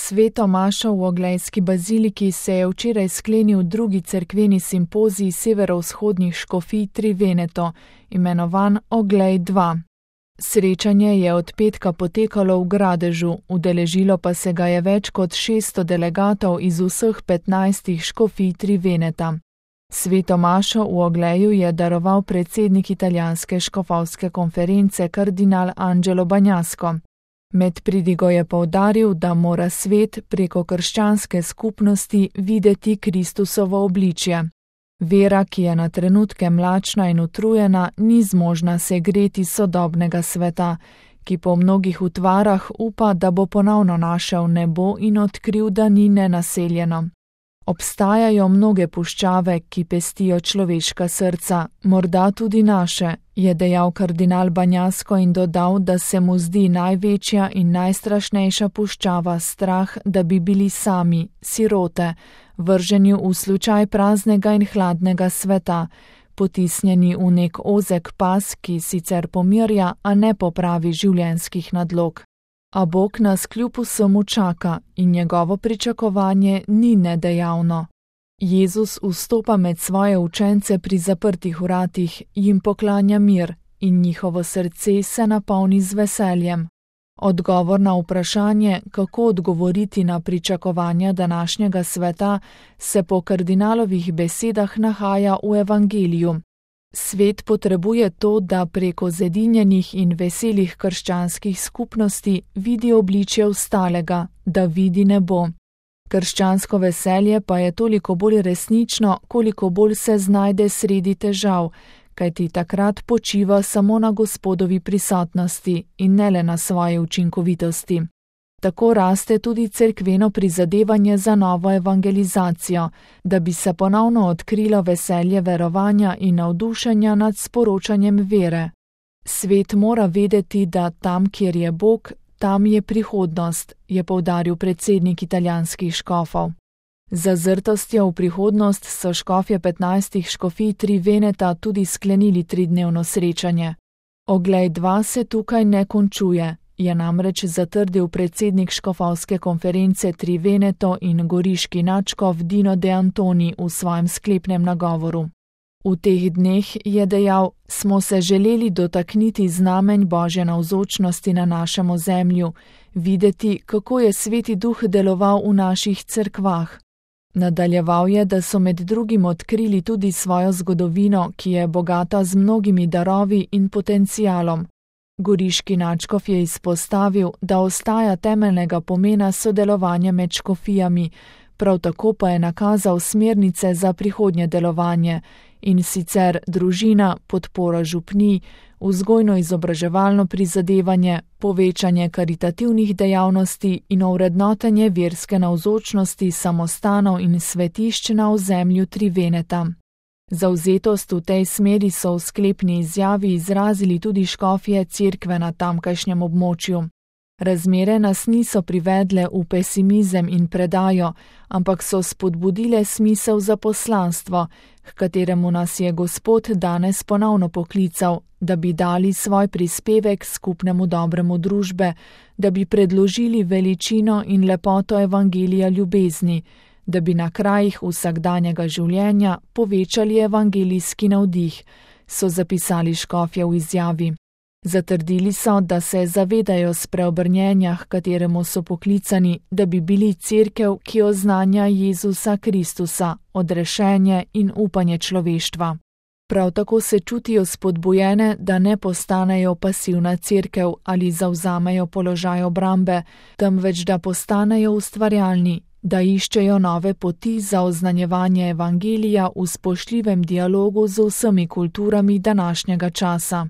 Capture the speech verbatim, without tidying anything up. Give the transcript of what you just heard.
Sveto mašo v Oglejski baziliki se je včeraj sklenil drugi cerkveni simpozij severovzhodnih škofij Tri Veneto, imenovan Oglej dva. Srečanje je od petka potekalo v Gradežu, udeležilo pa se ga je več kot šeststo delegatov iz vseh petnajstih škofij Tri Veneta. Sveto mašo v Ogleju je daroval predsednik italijanske škofovske konference kardinal Angelo Bagnasco. Med pridigo je poudaril, da mora svet preko krščanske skupnosti videti Kristusovo obličje. Vera, ki je na trenutke mlačna in utrujena, ni zmožna se greti sodobnega sveta, ki po mnogih utvarah upa, da bo ponovno našel nebo in odkril, da ni nenaseljeno. Obstajajo mnoge puščave, ki pestijo človeška srca, morda tudi naše, je dejal kardinal Bagnasco in dodal, da se mu zdi največja in najstrašnejša puščava strah, da bi bili sami, sirote, vrženi v slučaj praznega in hladnega sveta, potisnjeni v nek ozek pas, ki sicer pomirja, a ne popravi življenjskih nadlog. A Bog nas kljub vsemu čaka in njegovo pričakovanje ni nedejavno. Jezus vstopa med svoje učence pri zaprtih vratih, jim poklanja mir in njihovo srce se napolni z veseljem. Odgovor na vprašanje, kako odgovoriti na pričakovanja današnjega sveta, se po kardinalovih besedah nahaja v Evangeliju. Svet potrebuje to, da preko zedinjenih in veselih krščanskih skupnosti vidi obličje ostalega, da vidi nebo. Krščansko veselje pa je toliko bolj resnično, koliko bolj se znajde sredi težav, kajti takrat počiva samo na Gospodovi prisotnosti in ne le na svoje učinkovitosti. Tako raste tudi cerkveno prizadevanje za novo evangelizacijo, da bi se ponovno odkrilo veselje verovanja in navdušenja nad sporočanjem vere. Svet mora vedeti, da tam, kjer je Bog, tam je prihodnost, je poudaril predsednik italijanskih škofov. Z zazrtostjo v prihodnost so škofje petnajstih škofij Tri Veneta tudi sklenili tridnevno srečanje. Oglej dva se tukaj ne končuje, je namreč zatrdil predsednik škofovske konference Tri Veneto in goriški nadškof Dino De Antoni v svojem sklepnem nagovoru. V teh dneh, je dejal, smo se želeli dotakniti znamenj Božje navzočnosti na našem ozemlju, videti, kako je Sveti Duh deloval v naših cerkvah. Nadaljeval je, da so med drugim odkrili tudi svojo zgodovino, ki je bogata z mnogimi darovi in potencialom. Goriški nadškof je izpostavil, da ostaja temeljnega pomena sodelovanje med škofijami, prav tako pa je nakazal smernice za prihodnje delovanje, in sicer družina, podpora župnij, vzgojno-izobraževalno prizadevanje, povečanje karitativnih dejavnosti in ovrednotenje verske navzočnosti samostanov in svetišč na ozemlju Tri Veneta. Zavzetost v tej smeri so v sklepni izjavi izrazili tudi škofje cerkve na tamkajšnjem območju. Razmere nas niso privedle v pesimizem in predajo, ampak so spodbudile smisel za poslanstvo, h kateremu nas je Gospod danes ponovno poklical, da bi dali svoj prispevek skupnemu dobremu družbe, da bi predložili veličino in lepoto evangelija ljubezni, da bi na krajih vsakdanjega življenja povečali evangelijski navdih, so zapisali škofje v izjavi. Zatrdili so, da se zavedajo spreobrnjenja, h kateremu so poklicani, da bi bili cerkev, ki oznanja Jezusa Kristusa, odrešenje in upanje človeštva. Prav tako se čutijo spodbujene, da ne postanejo pasivna cerkev ali zavzamejo položaj obrambe, temveč da postanejo ustvarjalni, da iščejo nove poti za oznanjevanje evangelija v spoštljivem dialogu z vsemi kulturami današnjega časa.